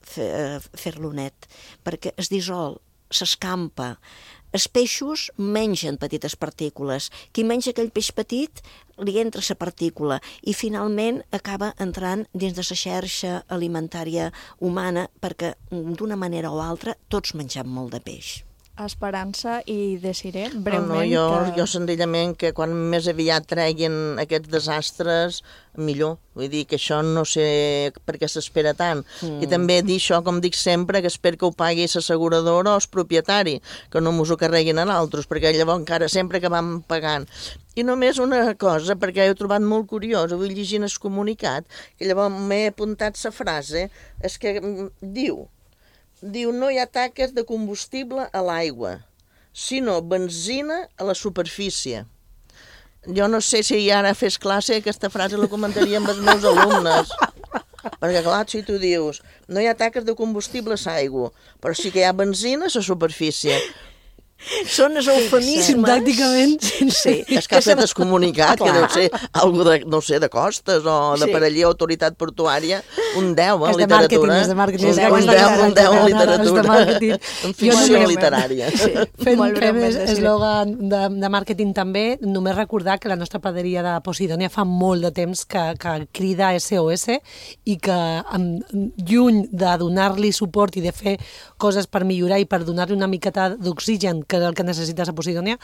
fer-lo net, perquè es dissol, s'escampa. Els peixos mengen petites partícules. Qui menja aquell peix petit li entra la partícula i finalment acaba entrant dins de la xarxa alimentària humana perquè d'una manera o altra tots mengem molt de peix. Esperança i Desiré, breument... Jo senzillament que quan més aviat treguin aquests desastres, millor. Vull dir que això no sé per què s'espera tant. I també dir això, com dic sempre, que espero que ho pagui l'asseguradora o el propietari, que no mos ho carreguin a altres, perquè llavors encara sempre que vam pagant. I només una cosa, perquè he trobat molt curiós, avui llegint el comunicat, que llavors m'he apuntat la frase, és que diu no hi ha taques de combustible a l'aigua, sinó benzina a la superfície. Jo no sé si ara fes classe aquesta frase la comentaria amb els meus alumnes. Perquè clar, si tu dius no hi ha taques de combustible a l'aigua, però sí que hi ha benzina a la superfície. Són els eufemismes. Sintàcticament. Sí. És que ha fet el comunicat, que deu ser algo de, no sé, de costes o de per allí autoritat portuària, un 10 en literatura. És de màrqueting. Un 10 en literatura. En ficció literària. Fem eslògan de màrqueting també, només recordar que la nostra praderia de Posidònia fa molt de temps que crida SOS i que lluny de donar-li suport i de fer coses per millorar i per donar-li una miqueta d'oxigen, que és el que necessites a Posidònia,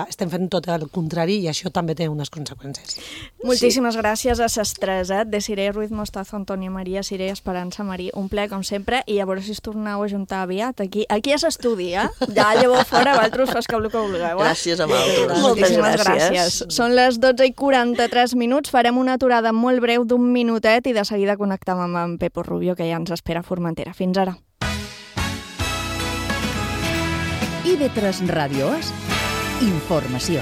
estem fent tot el contrari i això també té unes conseqüències. Moltíssimes gràcies a ses tres, de Siré Ruiz Mostazo, Antònia Maria, Siré Esperança Marí. Un ple, com sempre, i a veure si es torneu a juntar aviat. Aquí a l'estudi, ja lleveu fora, vosaltres fas que vulgueu. Gràcies a vosaltres. Moltíssimes gràcies. Són les 12:43 minuts, farem una aturada molt breu d'1 minutet i de seguida connectem amb en Pepo Rubio, que ja ens espera a Formentera. Fins ara. IB3 Ràdio és informació.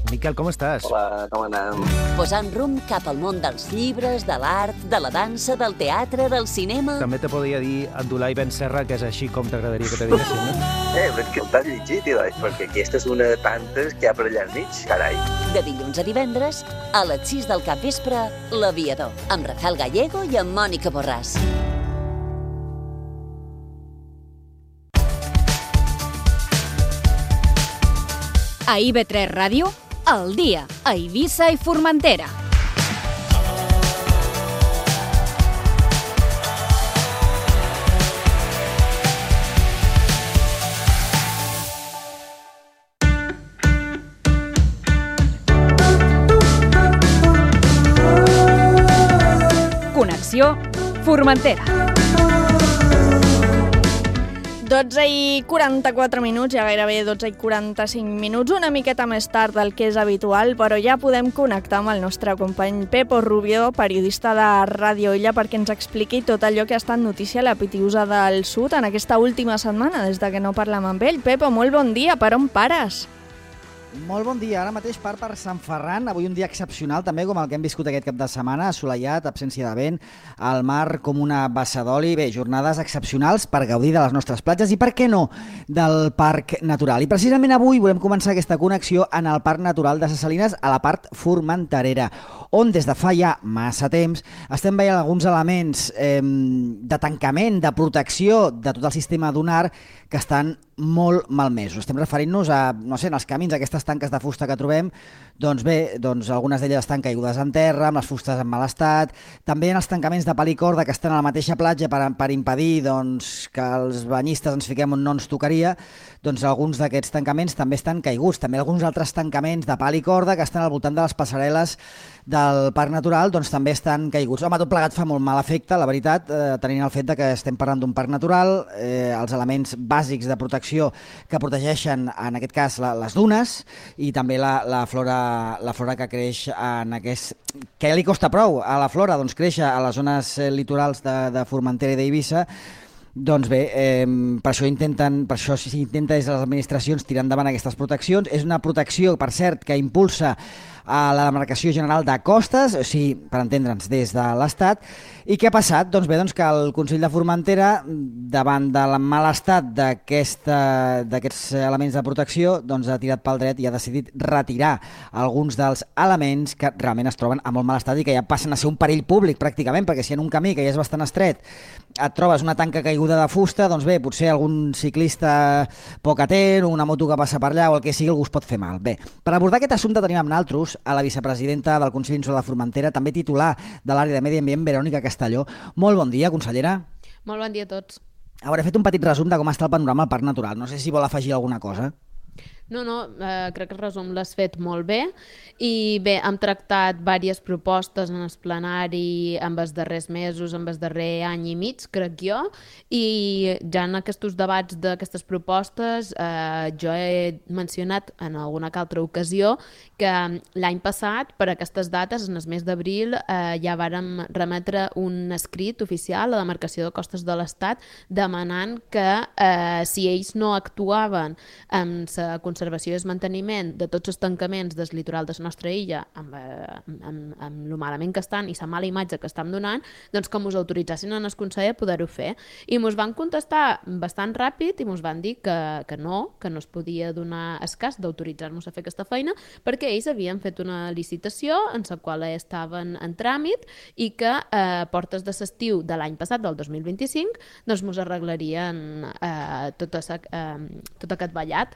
Miquel, com estàs? Hola, com anem? Posant rumb cap al món dels llibres, de l'art, de la dansa, del teatre, del cinema... També te podria dir Abdulai Ben Serra, que és així com t'agradaria que te diguessin, no? Però és que t'has llegit, perquè aquesta és una de tantes que hi ha per allà al mig, carai. De dilluns a divendres, a les 6 del capvespre, L'Aviador, amb Rafael Gallego i amb Mònica Borràs. A IB3 Ràdio, al dia, a Eivissa i Formentera. Connexió Formentera. 12:44 minuts, ja gairebé 12:45 minuts, una miqueta més tard del que és habitual, però ja podem connectar amb el nostre company Pepo Rubio, periodista de Ràdio Illa, perquè ens expliqui tot allò que ha estat notícia a la Pitiusa del Sud en aquesta última setmana, des de que no parlem amb ell. Pepo, molt bon dia, per on pares? Molt bon dia, ara mateix per Sant Ferran, avui un dia excepcional també com el que hem viscut aquest cap de setmana, assolellat, absència de vent, al mar com una bassa d'oli, bé, jornades excepcionals per gaudir de les nostres platges i per què no, del Parc Natural. I precisament avui volem començar aquesta connexió en el Parc Natural de Ses Salines a la part formenterera, on des de fa ja massa temps estem veient alguns elements de tancament, de protecció de tot el sistema dunar que estan molt malmesos. Estem referint-nos a, no sé, en els camins, aquestes tanques de fusta que trobem, doncs bé, algunes d'elles estan caigudes en terra, amb les fustes en mal estat, també en els tancaments de pal i corda que estan a la mateixa platja per impedir que els banyistes ens fiquem on no ens tocaria, doncs alguns d'aquests tancaments també estan caiguts. També alguns altres tancaments de pal i corda que estan al voltant de les passarel·les del Parc Natural doncs també estan caiguts. Home, tot plegat fa molt mal efecte, la veritat, tenint el fet que estem parlant d'un parc natural, els elements bàsics de protecció que protegeixen, en aquest cas, les dunes i també la flora que creix en aquest... que li costa prou a la flora doncs, créixer a les zones litorals de Formentera i d'Eivissa. Doncs bé, per això s'intenta des de les administracions tirar endavant aquestes proteccions. És una protecció, per cert, que impulsa a la Demarcació General de Costes, o sigui, per entendre'ns, des de l'Estat. I què ha passat? Doncs bé, que el Consell de Formentera, davant del mal estat d'aquests elements de protecció, doncs ha tirat pel dret i ha decidit retirar alguns dels elements que realment es troben a molt mal estat i que ja passen a ser un perill públic, pràcticament, perquè si en un camí que ja és bastant estret et trobes una tanca caiguda de fusta, doncs bé, potser algun ciclista poc atent o una moto que passa per allà o el que sigui, algú es pot fer mal. Bé, per abordar aquest assumpte tenim amb nosaltres a la vicepresidenta del Consell Insular de Formentera, també titular de l'àrea de Medi Ambient, Verònica Castelló. Molt bon dia, consellera. Molt bon dia a tots. He fet un petit resum de com està el panorama al Parc Natural. No sé si vol afegir alguna cosa. No, crec que el resum l'has fet molt bé i bé, hem tractat diverses propostes en el plenari en els darrers mesos, en el darrer any i mig, crec jo, i ja en aquests debats d'aquestes propostes jo he mencionat en alguna altra ocasió que l'any passat, per aquestes dates, en el mes d'abril, ja vàrem remetre un escrit oficial a la Demarcació de Costes de l'Estat demanant que si ells no actuaven amb la conservació i manteniment de tots els tancaments del litoral de la nostra illa amb lo malament que estan i la mala imatge que estem donant, doncs que mos autoritzessin en el Consell a poder-ho fer. I mos van contestar bastant ràpid i mos van dir que no es podia donar el cas d'autoritzar-nos a fer aquesta feina perquè ells havien fet una licitació en la qual estaven en tràmit i que a portes de l'estiu de l'any passat, del 2025, doncs mos arreglarien tot aquest ballat,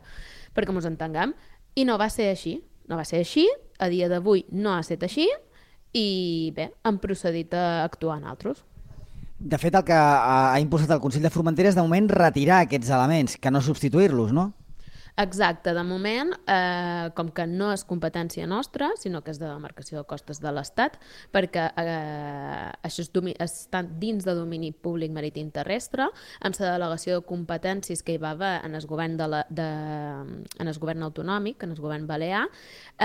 perquè mos entenguem. I no va ser així. No va ser així, a dia d'avui no ha estat així, i bé, hem procedit a actuar nosaltres. De fet, el que ha impulsat el Consell de Formentera és de moment retirar aquests elements, que no substituir-los, no? Exacte, de moment, com que no és competència nostra, sinó que és de demarcació de costes de l'Estat, perquè això està dins de domini públic marítim terrestre, amb la delegació de competències que hi va haver en el govern, en el govern autonòmic, en el govern balear,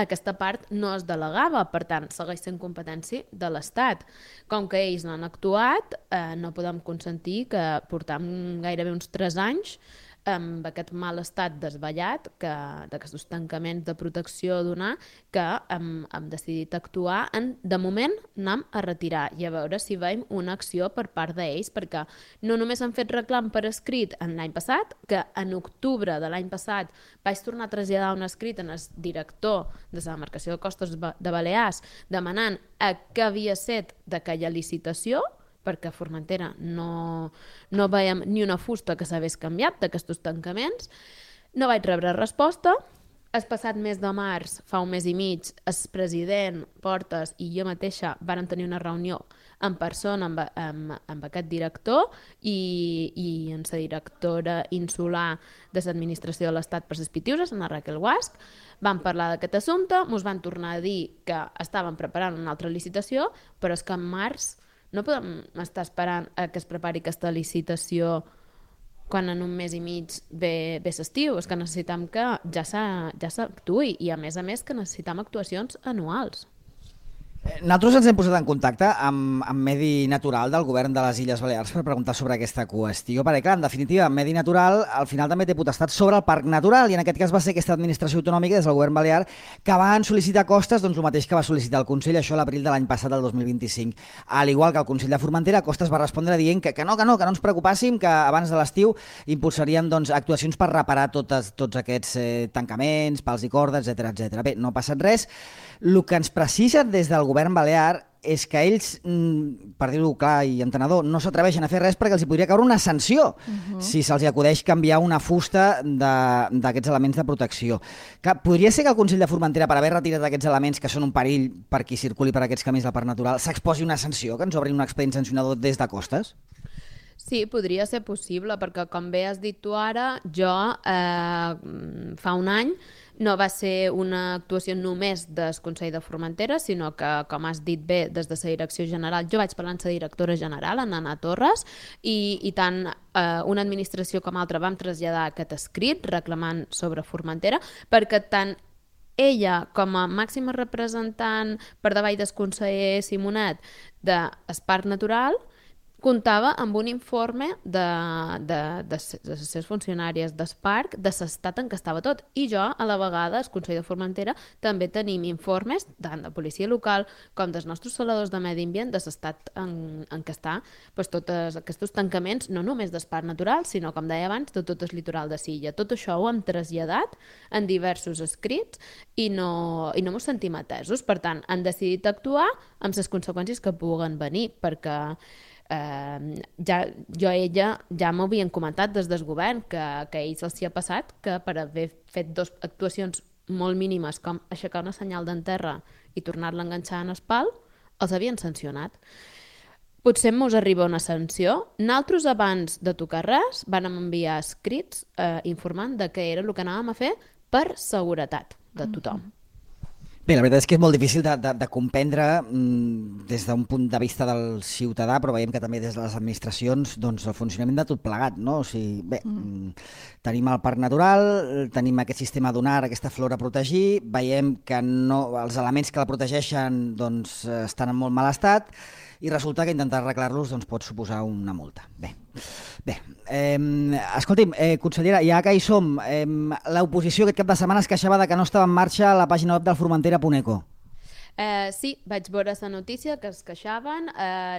aquesta part no es delegava, per tant, segueix sent competència de l'Estat. Com que ells no han actuat, no podem consentir que portem gairebé uns 3 anys amb aquest mal estat desballat d'aquests tancaments de protecció a donar, que hem decidit actuar de moment anem a retirar i a veure si veiem una acció per part d'ells, perquè no només han fet reclam per escrit l'any passat, que en octubre de l'any passat vaig tornar a traslladar un escrit en el director de la demarcació de costes de Balears demanant què havia set d'aquella licitació, perquè a Formentera no veiem ni una fusta que s'hagués canviat d'aquests tancaments. No vaig rebre resposta. El passat mes de març, fa un mes i mig, el president Portes i jo mateixa varen tenir una reunió en persona amb aquest director i amb la directora insular de l'administració de l'Estat per les Pitiuses, en Raquel Guasch. Vam parlar d'aquest assumpte, ens van tornar a dir que estaven preparant una altra licitació, però és que en març no podem estar esperant que es prepari aquesta licitació quan en un mes i mig ve l'estiu. És que necessitem que ja s'actuï i, a més, que necessitem actuacions anuals. Nosaltres ens hem posat en contacte amb Medi Natural del govern de les Illes Balears per preguntar sobre aquesta qüestió, perquè clar, en definitiva, Medi Natural al final també té potestat sobre el Parc Natural i en aquest cas va ser aquesta administració autonòmica des del govern balear que van sol·licitar Costes doncs el mateix que va sol·licitar el Consell, això a l'abril de l'any passat, del 2025. Al igual que el Consell de Formentera, Costes va respondre dient que no ens preocupàssim, que abans de l'estiu impulsarien actuacions per reparar tots aquests tancaments, pals i cordes, etc. Bé, no ha passat res. El que ens precisa des del govern balear és que ells, per dir-ho clar i entenedor, no s'atreveixen a fer res perquè els hi podria caure una sanció si se'ls acudeix canviar una fusta d'aquests elements de protecció. Podria ser que el Consell de Formentera, per haver retirat aquests elements que són un perill per qui circuli per aquests camins del Parc Natural, s'exposi una sanció, que ens obrin un expedient sancionador des de Costes? Sí, podria ser possible, perquè com bé has dit tu ara, jo fa un any no va ser una actuació només del Consell de Formentera, sinó que, com has dit bé, des de la direcció general, jo vaig parlar amb la directora general, en Anna Torres, i tant una administració com altra vam traslladar aquest escrit reclamant sobre Formentera, perquè tant ella, com a màxima representant per davall del conseller Simonet del Parc Natural, comptava amb un informe de les seves funcionàries del parc de l'estat en què estava tot. I jo, a la vegada, al Consell de Formentera, també tenim informes tant de policia local com dels nostres saladors de medi ambient de l'estat en què està tots aquests tancaments, no només del Parc Natural, sinó, com deia abans, de tot el litoral de Silla. Tot això ho hem traslladat en diversos escrits i no ens sentim atesos. Per tant, han decidit actuar amb les conseqüències que puguen venir, perquè ella ja m'havien comentat des del govern que a ells els hi ha passat que per haver fet 2 actuacions molt mínimes com aixecar una senyal d'enterra i tornar-la a enganxar en el pal, els havien sancionat. Potser mos arriba una sanció. Nosaltres, abans de tocar res, vam enviar escrits informant de què era el que anàvem a fer per seguretat de tothom. Bé, la veritat és que és molt difícil de comprendre des d'un punt de vista del ciutadà, però veiem que també des de les administracions el funcionament de tot plegat, no? O sigui, bé, tenim el Parc Natural, tenim aquest sistema dunar, aquesta flora a protegir, veiem que els elements que la protegeixen estan en molt mal estat i resulta que intentar arreglar-los pot suposar una multa. Bé, Escolti'm, consellera, ja que hi som, l'oposició aquest cap de setmana es queixava de que no estava en marxa la pàgina web del Formentera.eco. Sí, vaig veure la notícia que es queixaven.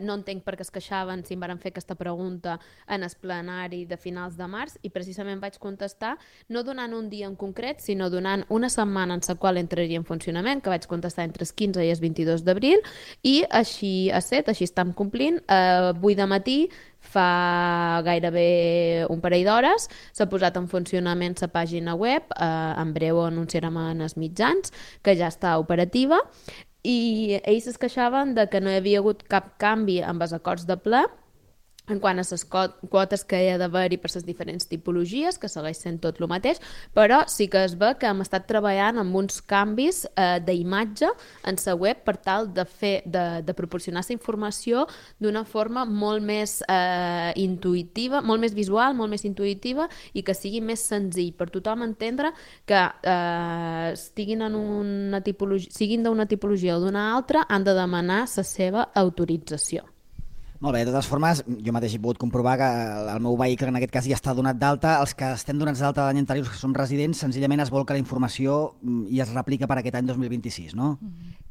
No entenc per què es queixaven si em van fer aquesta pregunta en el plenari de finals de març i precisament vaig contestar no donant un dia en concret, sinó donant una setmana en la qual entraria en funcionament, que vaig contestar entre el 15 i el 22 d'abril, i així ha estat, així estem complint. Avui de matí, fa gairebé un parell d'hores, s'ha posat en funcionament la pàgina web, en breu ho anunciarem en els mitjans, que ja està operativa, i ells es queixaven de que no hi havia hagut cap canvi amb els acords de ple en quant a les quotes que hi ha d'haver-hi per les diferents tipologies, que segueix sent tot el mateix, però sí que es ve que hem estat treballant amb uns canvis d'imatge en la web per tal de proporcionar la informació d'una forma molt més intuïtiva, molt més visual, molt més intuïtiva i que sigui més senzill per tothom entendre que siguin d'una tipologia o d'una altra, han de demanar la seva autorització. Molt bé, de totes formes, jo mateix he pogut comprovar que el meu vehicle en aquest cas ja està donat d'alta. Els que estem donats d'alta l'any anterior, que som residents, senzillament es vol que la informació i es replica per aquest any 2026, no?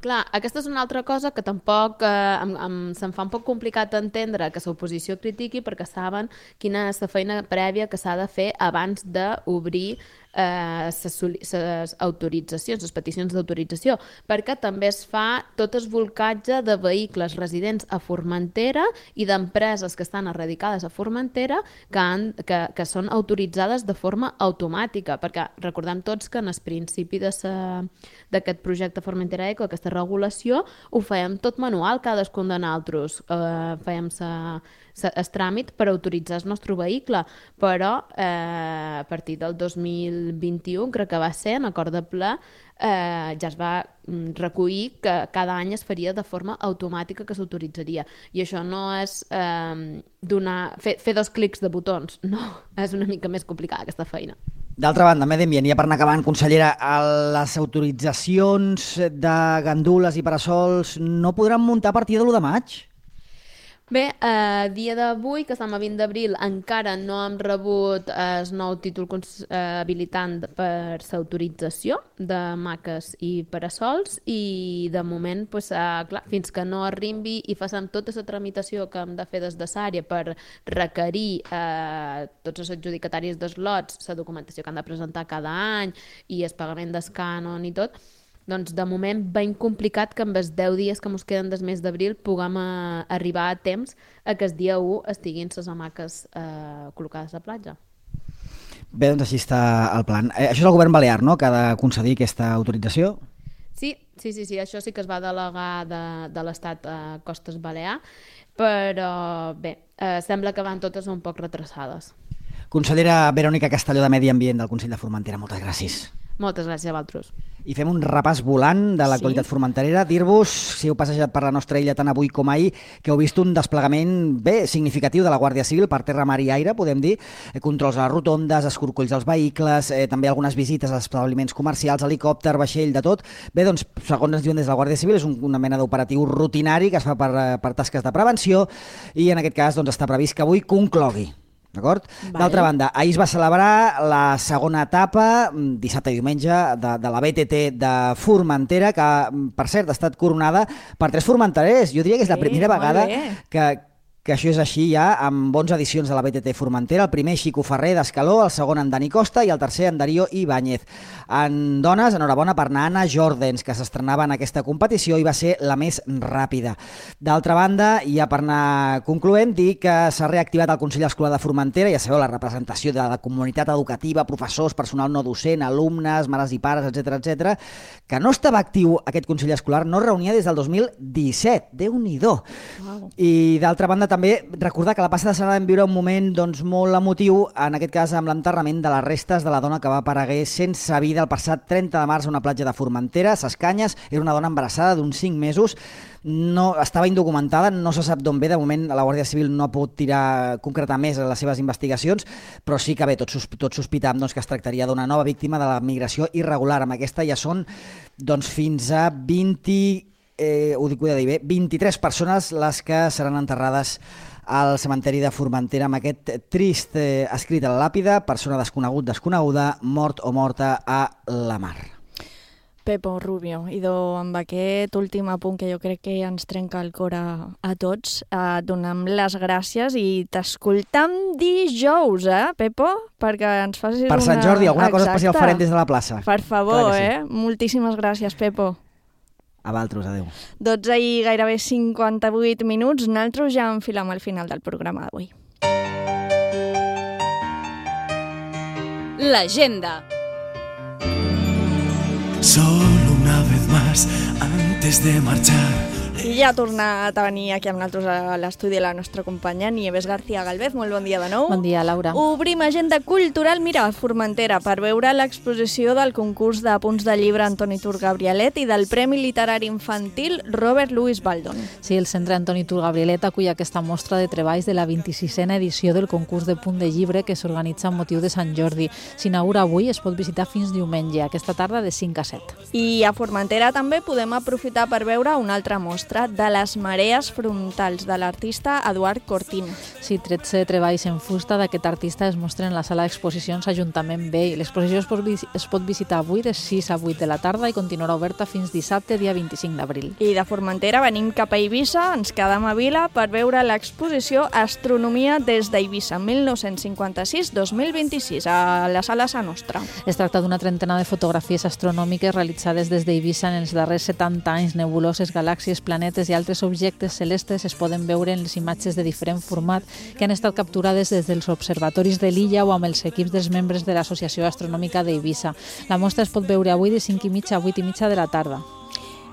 Clar, aquesta és una altra cosa que tampoc se'm fa un poc complicat entendre que l'oposició critiqui perquè saben quina és la feina prèvia que s'ha de fer abans d'obrir les autoritzacions, les peticions d'autorització, perquè també es fa tot el volcatge de vehicles residents a Formentera i d'empreses que estan erradicades a Formentera que són autoritzades de forma automàtica, perquè recordem tots que en el principi d'aquest projecte Formentera Eco, aquesta regulació, ho fèiem tot manual, cadascun de nosaltres fèiem el tràmit per autoritzar el nostre vehicle, però a partir del 2021, crec que va ser, en acord de ple, ja es va recollir que cada any es faria de forma automàtica que s'autoritzaria. I això no és fer 2 clics de botons, no, és una mica més complicada aquesta feina. D'altra banda, medi ambient, ja per anar acabant, consellera, les autoritzacions de gandules i parasols no podran muntar a partir de l'1 de maig? Bé, a dia d'avui, que estem a 20 d'abril, encara no hem rebut el nou títol habilitant per l'autorització de maques i parasols i de moment, clar, fins que no arribi i facem tota la tramitació que hem de fer des de l'àrea per requerir tots els adjudicataris dels lots, la documentació que han de presentar cada any i el pagament del cànon i tot, doncs de moment ben complicat que amb els 10 dies que ens queden des mes d'abril puguem arribar a temps a que el dia 1 estiguin les hamaques col·locades a platja. Bé, doncs així està el plan. Això és el govern balear, no?, que ha de concedir aquesta autorització? Sí, això sí que es va delegar de l'Estat a Costes Balear, però bé, sembla que van totes un poc retrasades. Consellera Verònica Castelló de Medi Ambient del Consell de Formentera, moltes gràcies. Moltes gràcies a vosaltres. I fem un repàs volant de l'actualitat formenterera. Dir-vos, si heu passejat per la nostra illa tant avui com ahir, que heu vist un desplegament significatiu de la Guàrdia Civil per terra, mar i aire, podem dir, controls a les rotondes, escorcolls als vehicles, també algunes visites als establiments comercials, helicòpter, vaixell, de tot. Bé, doncs, segons ens diuen des de la Guàrdia Civil, és una mena d'operatiu rutinari que es fa per tasques de prevenció i en aquest cas doncs, està previst que avui conclogui. D'acord? Vale. D'altra banda, ahir es va celebrar la segona etapa, dissabte i diumenge, de la BTT de Formentera, que, per cert, ha estat coronada per 3 formenterers. Jo diria que és la primera vegada que això és així ja, amb 11 edicions de la BTT Formentera. El primer, Xico Ferrer d'Escaló, el segon, en Dani Costa, i el tercer, en Darío Ibáñez. En dones, enhorabona per Anna Jordens, que s'estrenava en aquesta competició i va ser la més ràpida. D'altra banda, ja per anar concloent, dir que s'ha reactivat el Consell Escolar de Formentera, ja sabeu, la representació de la comunitat educativa, professors, personal no docent, alumnes, mares i pares, etc, que no estava actiu aquest Consell Escolar, no reunia des del 2017. Déu-n'hi-do. Wow. I d'altra banda, també recordar que la passada setmana vam viure un moment molt emotiu, en aquest cas amb l'enterrament de les restes de la dona que va apareguer sense vida el passat 30 de març a una platja de Formentera, a Ses Canyes. Era una dona embarassada d'uns 5 mesos, no, estava indocumentada, no se sap d'on ve, de moment la Guàrdia Civil no ha pogut concretar més les seves investigacions, però sí que bé, tots sospitàvem que es tractaria d'una nova víctima de la migració irregular. Amb aquesta ja són fins a 23 persones les que seran enterrades al cementeri de Formentera amb aquest trist escrit a la làpida: persona desconegut, desconeguda, mort o morta a la mar. Pepo Rubio, amb aquest últim apunt que jo crec que ens trenca el cor a tots, donem les gràcies i t'escoltam dijous, Pepo? Perquè ens facis per Sant Jordi, alguna cosa especial farem des de la plaça. Per favor, sí. Moltíssimes gràcies, Pepo. A vosaltres, adeu. 12 i gairebé 58 minuts, nosaltres ja enfilem al final del programa d'avui. L'agenda. Solo una vez más antes de marchar. I ja ha tornat a venir aquí amb nosaltres a l'estudi la nostra companya Nieves García Galvez. Molt bon dia de nou. Bon dia, Laura. Obrim agenda cultural, mira, a Formentera, per veure l'exposició del concurs de punts de llibre Antoni Tur Gabrielet i del Premi Literari Infantil Robert Louis Baldon. Sí, el Centre Antoni Tur Gabrielet acull aquesta mostra de treballs de la 26a edició del concurs de punt de llibre que s'organitza amb motiu de Sant Jordi. S'inaugura avui, es pot visitar fins diumenge, aquesta tarda de 5 a 7. I a Formentera també podem aprofitar per veure una altra mostra de les marees frontals de l'artista Eduard Cortín. Sí, 13 treballs en fusta d'aquest artista es mostren a la sala d'exposicions Ajuntament B. L'exposició es pot visitar avui de 6 a 8 de la tarda i continuarà oberta fins dissabte, dia 25 d'abril. I de Formentera venim cap a Eivissa, ens quedem a Vila per veure l'exposició Astronomia des d'Eivissa 1956-2026 a la sala Sa Nostra. Es tracta d'una trentena de fotografies astronòmiques realitzades des d'Eivissa en els darrers 70 anys. Nebuloses, galàxies, planetes i altres objectes celestes es poden veure en les imatges de diferent format que han estat capturades des dels observatoris de l'illa o amb els equips dels membres de l'Associació Astronòmica d'Eivissa. La mostra es pot veure avui de 5:30 a 8:30 de la tarda.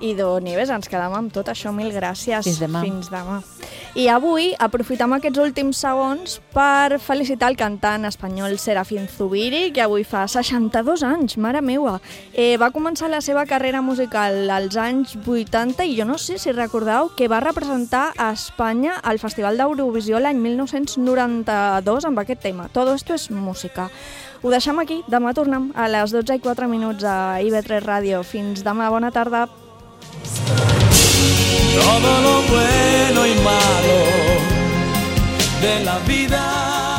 I Nieves, ens quedem amb tot això. Mil gràcies. Fins demà. Fins demà. I avui aprofitem aquests últims segons per felicitar el cantant espanyol Serafín Zubiri, que avui fa 62 anys, mare meua. Va començar la seva carrera musical als anys 80 i jo no sé si recordeu que va representar a Espanya al Festival d'Eurovisió l'any 1992 amb aquest tema. Todo esto es música. Ho deixem aquí. Demà tornem a les 12:04 a IB3 Ràdio. Fins demà. Bona tarda. Todo lo bueno y malo de la vida.